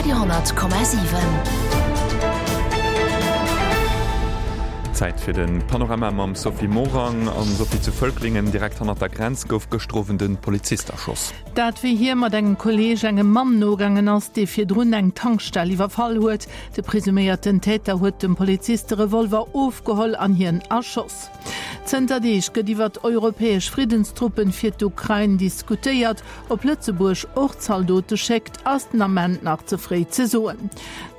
Radio 10,7. Zäit fir de Panorama mam Sophie Morang. An Sophie, zu Völklingen, direkt hannert der Grenz, gouf gëschter Owend e Polizist erschoss. Dat wéi hie mat engem Kolleeg engem Mann nogaangen ass, dee virdrun eng Tankstell iwwerfall huet. De presuméierten Täter huet dem Polizist de Revolver ofgeholl an hien erschoss. Zënter Deeg gëtt iwwert europäesch Friddenstruppen fir d'Ukrain diskutéiert. Ob Lëtzebuerg och Zaldote schéckt, ass den Ament nach ze fréi ze soen.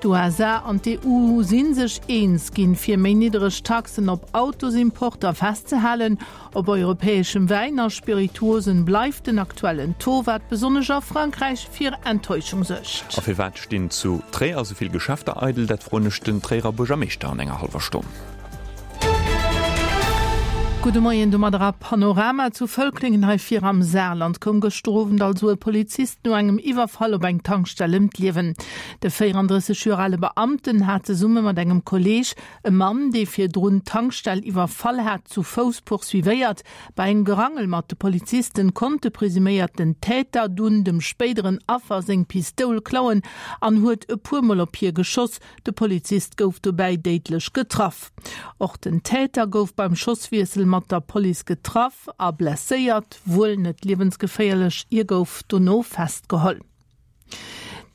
D'USA an d'EU si sech eens ginn, fir méi niddereg Taxen op Autosimporter festzehalen. Op europäeschem Wäin a Spirituosen bleift den aktuellen Taux, wat besonnesch a Frankräich fir Enttäuschung suergt. A firwat stinn zu Tréier esou vill Geschäfter eidel? Dat froen ech den Tréierer Buergermeeschter an enger hallwer Stonn. Gudde Moien domadder a Panorama. Zu Völklingen hei vir am Saarland koum gëschter Owend also e Polizist no engem Iwwerfall op eng Tankstell ëm d'Liewen. De 34 Joer ale Beamten hat zesumme mat engem Kolleeg e Mann, dee virdrun d'Tankstell iwwerfall hat, zu Fouss poursuivéiert. Bei engem Gerangel mat de Polizisten konnt de presuméierten Täter dunn dem spéideren Affer seng Pistoul klauen an huet e puer Mol op hie geschoss. De Polizist gouf dobäi déidlech getraff. Och den Täter gouf beim Schosswiessel mat der Police getraff a blesséiert, wuel net liewensgeféierlech. Hie gouf dono festgeholl.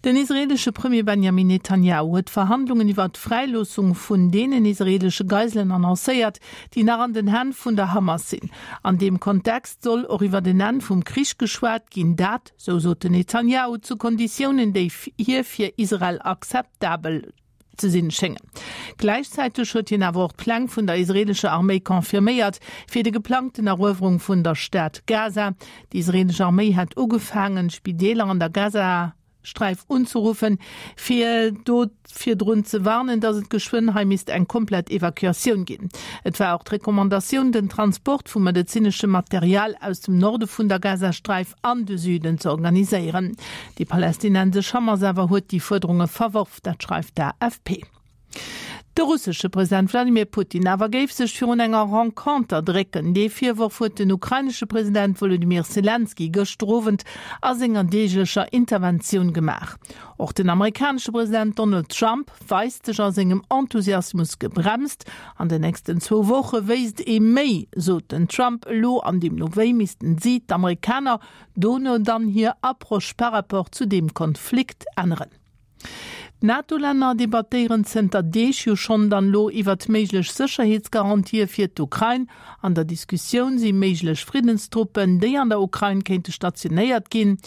Den israeelesche Premier Benjamin Netanjahu huet Verhandlungen iwwer d'Fräiloossung vun deenen israeelesche Geiselen annoncéiert, déi nach an den Hänn vun der Hamas sinn. An deem Kontext soll och iwwer en Enn vum Krich geschwat ginn. Dat sou sot den Netanjahu, zu Konditiounen, déi hir fir Israel akzeptabel ze sinn schéngen. Gläichzäiteg huet hien awer och d'Pläng vun der israeelescher Arméi confirméiert, fir de geplangten Eruewerung vun der Stad Gaza. Déi israeelesch Arméi hätt ugefaangen, Spideeler an der Gazasträif unzeruffen, fir do virdrun ze warnen, datt et geschwënn hei misst eng komplett Evakuatioun ginn. Et war och d'Recommandatioun, den Transport vu medezineschem Material aus dem Norde vun der Gazasträif an de Süden ze organiséieren. Déi palästinensesch Hamas awer huet déi Fuerderunge verworf, dat schreift d'AFP. De russesche President Wladimir Putin awer géif sech virun enger Renconter drécken. Dee Virworf huet den ukrainesche President Wolodymyr Selenskyj gëschter Owend a senger deeglecher Interventioun gemaach. Och den amerikanesche President Donald Trump weist sech a sengem Enthusiasmus gebremst. An den nächsten zwou Woche wéisst ee méi, sot den Trump elo, an deemno wéi missten si, d'Amerikaner, dono dann hir Approche par rapport zu deem Konflikt änneren. D'NATO-Länner debattéieren zënter Deeg jo schonn dann elo iwwert méiglech Sécherheetsgarantië fir d'Ukrain. An der Diskussioun si méiglech Friddenstruppen, déi an der Ukrain kéinte stationéiert ginn.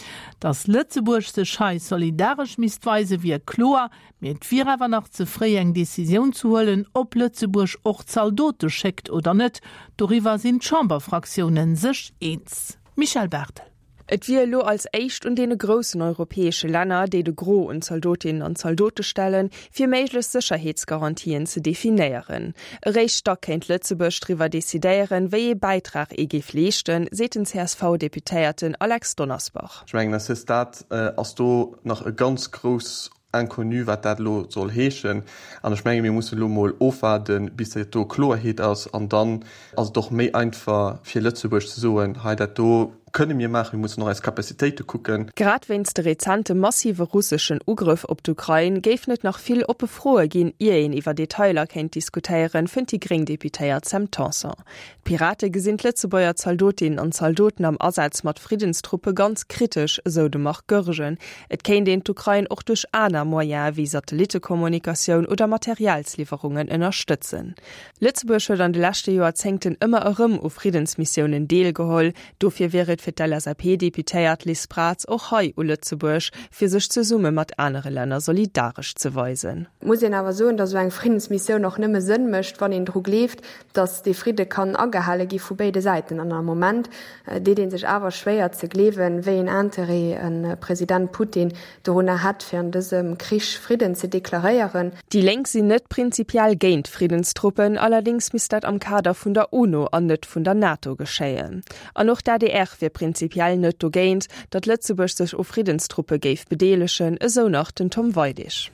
Datt Lëtzebuerg sech hei solidaresch misst weisen, wier kloer, mee et wier awer nach ze fréi eng Decisioun ze huelen, ob Lëtzebuerg och Zaldote schéckt oder net. Doriwwer sinn d'Chamberfraktioune sech eens. Michèle Barthel. Et wier elo als éischt un deene groussen europäesche Länner, déi de Gros un Zaldotinnen an Zaldote stellen, fir méiglech Sécherheetsgarantien ze definéieren. Eréischt da kéint Lëtzebuerg driwwer decidéieren, wéi ee Bäitrag ee géif leeschten, seet den CSV-Deputéierten Alex Donnersbach. Ech mengen, à ce stade ass do nach e ganz grouss Inconnu, wat dat elo soll heeschen. An ech menge mir mussen elo emol ofwaarden, bis dat do Kloerheet ass. An dann ass et och méi einfach fir Lëtzebuerg ze soen, hei dat do kënne mir maachen, mir mussen och eis Capacitéite kucken. Grad wéinst de rezente massive russeschen Ugrëff op d'Ukrain géifen et nach vill oppe Froe ginn, ier een iwwer Detailer kéint diskutéieren, fënnt déi gréng Deputéiert Sam Tanson. D'Pirate gesinn d'Lëtzebuerger Zaldotinnen an Zaldoten am Asaz mat Friddenstruppe ganz kritesch, esou de Marc Goergen. Et kéint een d'Ukrain och duerch aner Moyene wéi Satellittekommunikatioun oder Materialsliwwerungen ënnerstëtzen. Lëtzebuerg huet an de leschte Joerzéngten ëmmer erëm u Friddensmissiounen deelgeholl. Dofir wier et fir d'LSAP-Deputéiert Liz Braz och hei u Lëtzebuerg, fir sech zesumme mat anere Länner solidaresch ze weisen. Et muss een awer soen, datt esou eng Friddensmissioun och nëmme Sënn mécht, wann een dru gleeft, datt dee Fridde kann agehale gi vu béide Säiten. An am Moment deet ee sech awer schwéier ze gleewen, wéi een Interêt e President Putin dorunner hätt, fir an dësem Krich Fridden ze deklaréieren. Déi Lénk sinn net prinzipiell géint Friddenstruppen, allerdéngs misst dat am Kader vun der UNO an net vun der NATO geschéien. An och d'ADR wier prinzipiell net dogéint, datt Lëtzebuerg sech u Friddenstruppe géif bedeelegen, esou nach den Tom Weidig.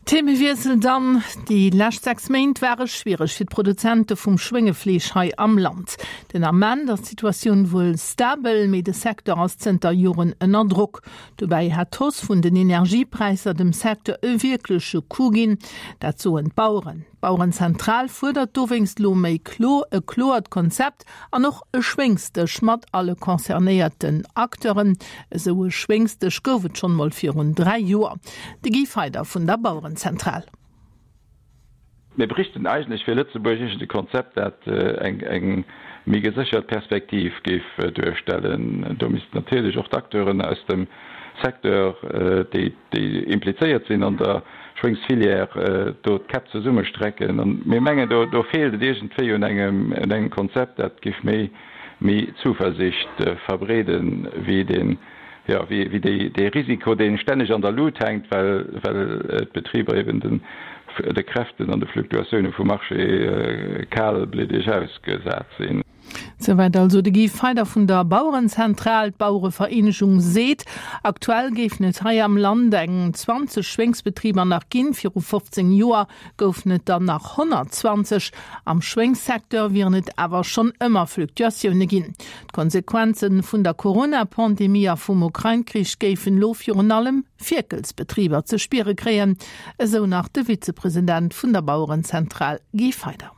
Themewiessel dann, Déi lescht 6 Méint ware schwiereg fir d'Produzente vum Schwéngefleesch hei am Land. Den Ament ass d'Situatioun wuel stabel, mee de Secteur ass zënter Joren ënner Drock. Dobäi hätt d'Hausse vun den Energiepräisser dem Secteur e wierkleche Coup ginn, dat soen d'Baueren. D'Bauerenzentral fuerdert dowéinst elo méi klo e kloert Konzept An och e Schwéngsdësch mat alle concernéierten Acteuren. Esou e Schwéngsdësch gouf et schonn mol virun 3 Joer. De Guy Feyder vun der Bauerenzentral. Mir bräichten eigentlech fir Lëtzebuerg iergend e Konzept, dat eng méi geséchert Perspektiv géif duerstellen. Do missten natierlech och d'Acteuren aus dem Secteur, déi déi implizéiert sinn an der Schwéngsfilière, do d'Käpp zesummestrecken. An mir mengen, do do feelt et iergendwéi un engem un engem Konzept, dat géif méi méi Zuversicht verbreeden, wéi deen, jo, wéi wéi déi dee Risiko, dee stänneg an der Lut hänkt, well well d'Betriber eben den de Kräften an de Fluktuatioune vum Marché kalbliddeg ausgesat sinn. Souwäit also de Guy Feyder vun der Bauerenzentral. D'Bauerevereenegung seet, aktuell géifen et hei am Land eng 20 Schwéngsbetriber nach ginn. Viru 15 Joer goufen et der nach 120. Am Schwéngssecteur wieren et awer schonn ëmmer Fluktuatioune ginn. D'Konsequenze vun der Corona-Pandemie a vum Ukrain-Krich géifen elo virun allem Fierkelsbetriber ze spiere kréien, esou nach de Vizepresident vun der Bauerenzentral Guy Feyder.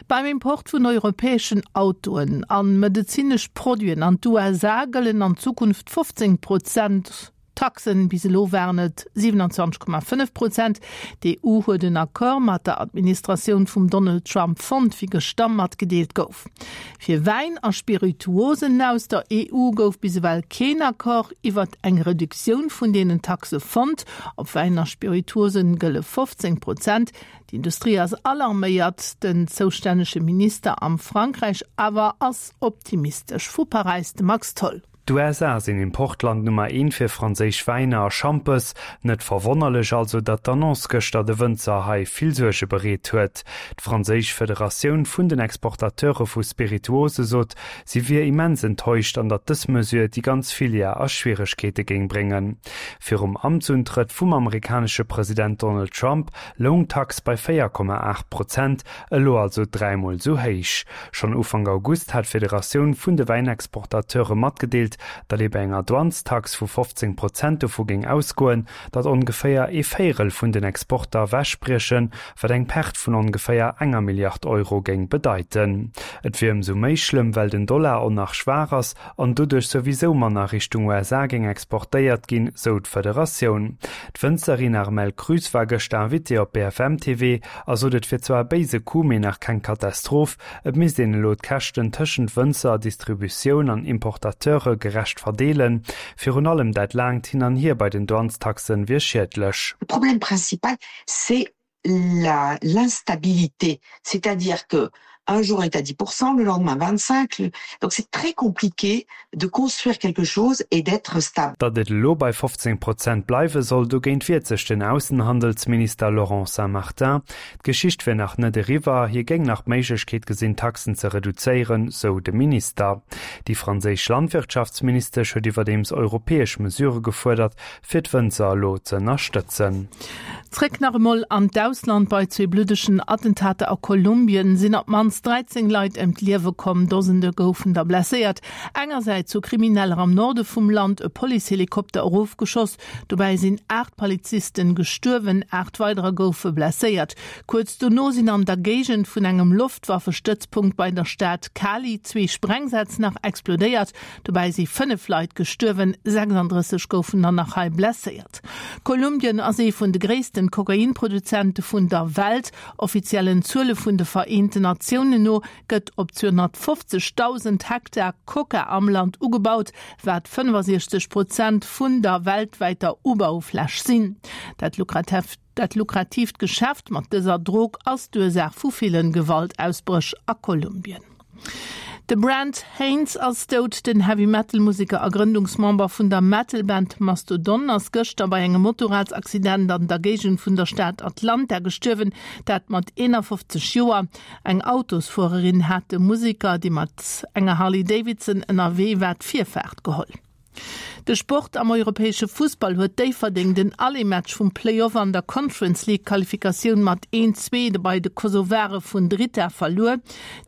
Beim Import vun europäeschen Autoen an medezinesch Produiten an d'USA gëllen an Zukunft 15 Prozent Taxen. Bis elo waren et 27,5 Prozent. D'EU huet en Accord mat der Administratioun vum Donald Trump fonnt, wéi gëschter matgedeelt gouf. Fir Wäin a Spirituosen aus der EU gouf bis ewell keen Accord iwwert eng Reduktioun vun deenen Taxe fonnt. Op Wäin a Spirituosen gëlle 15 Prozent. D'Industrie ass alarméiert, den zoustännege Minister am Frankräich awer ass optimistesch. Vu Paräis de Max Tholl. D'USA sinn Importland Nummer eent fir franséisch Wäiner a Schampes. Net verwonnerlech also, datt d'Annonce gëschter de Wënzer hei vill Suerge bereet huet. D'franséisch Federatioun vun den Exportateure vu Spirituose sot, si wier immens enttäuscht an datt dës Mesure déi ganz Filière a Schwieregkeete géing bréngen. Virum Amtsuntrëtt vum amerikanesche President Donald Trump loung d'Tax bei 4,8 Prozent, elo also dräimol esou héich. Schonn Ufank August hat d'Federatioun vun de Wäinexportateure matgedeelt, datt ee bei enger Douanestax vu 15 Prozent dovu géing ausgoen, datt ongeféier ee Véierel vun den Exporter ewechbriechen, wat eng Perte vun ongeféier enger Milliard Euro géing bedeiten. Et wier ëmsou méi schlëmm, well den Dollar och nach schwaach ass an doduerch souwisou manner Richtung USA géing exportéiert ginn, sou d'Federatioun. D'Wënzerin Armelle Krüss war gëschter Invitée op BFM TV a sot, et wier zwar e béise Coup, mee nach keng Katastroph. Et misst een elo d'Käschten tëschent Wënzer, Distributioun an Importateure gerecht verdeelen. Virun allem dat laangt Hin an Hier bei den Douanestaxen wier schiedlech. Le problème principal, c'est l'instabilité, c'est-à-dire que un jour est à 10%, le lendemain 25, donc c'est très compliqué de construire quelque chose et d'être stable. Datt et elo bei 15 Prozent bleiwe soll, dogéint wiert sech den Aussenhandelsminister Laurent Saint-Martin. D'Geschicht wier nach net eriwwer, hie géing nach d'Méiglechkeet gesinn, d'Taxen ze reduzéieren, sou de Minister. Déi franséisch Landwirtschaftsministesch huet iwwerdeems europäesch Mesurë gefuerdert, fir d'Wënzer elo ze ënnerstëtzen. Zréck nach emol an d'Ausland, Bei zwee bluddegen Attentater a Kolumbien sinn op d'mannst 13 Leit ëm d'Liewe komm, Dosende goufen der blesséiert. Engersäits hu Krimineller am Norde vum Land e Policehelikopter erofgeschoss, dobäi sinn 8 Polizisten gestuerwen, 8 weiderer goufe blesséiert. Kuerz dono sinn an der Géigend vun engem Loftwaffestëtzpunkt bei der Stad Cali zwee Sprengsätz nach explodéiert. Dobäi si 5 Leit gestuerwen, 36 goufen der nach hei blesséiert. Kolumbien ass ee vun de gréissten Kokainproduzente vun der Welt. Offiziellen Zuele vun de Vereenten Natiounen no gëtt op 250.000 Hektar Coca am Land ugebaut, wat 65 Prozent vun der weltwäiter Ubaufläch sinn. Dat Dat lukratiivt Geschäft mat dëser Drog ass d'Ursaach vu villen Gewaltausbréch a Kolumbien. De Brent Haynes ass dout. Den Heavy-Metal-Museker a Grëndungsmember vun der Metal-Band Mastodon ass gëschter bei engem Motorradsaccident an der Géigend vun der Stad Atlanta gestuerwen, dat mat 51 Joer. Eng Autosfuererin hat dem Museker, dee mat enger Harley Davidson ënnerwee war, d'Virfaart geholl. De Sport Am europäesche Fussball huet Déifferdeng den Aller-Match vum Play-Off an der Conference League Qualifikatioun mat 1, 2 bei de Kosovare vun Drita verluer.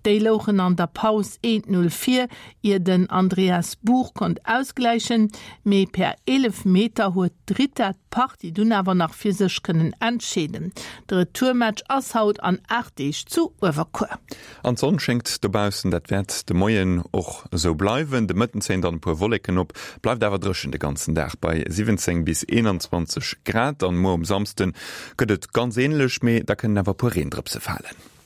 Déi louchen an der Paus 1, 0 vir, ier den Andreas Buch konnt ausgläichen, mee per Eelefmeter huet Drita d'Partie dunn awer nach fir sech kënnen entscheeden. De Retourmatch ass haut an 8 Deeg zu Uewerkuer. An d'Sonn schéngt dobaussen, dat wäert de Moien och esou bleiwen. De Mëtten zéien dann e puer Wolleken op, bleift awer dréchen de ganzen Dag bei 17 bis 21 Grad. An muer um Samsde gëtt et ganz änlech, mee da kënnen awer e puer Reendrëpse falen.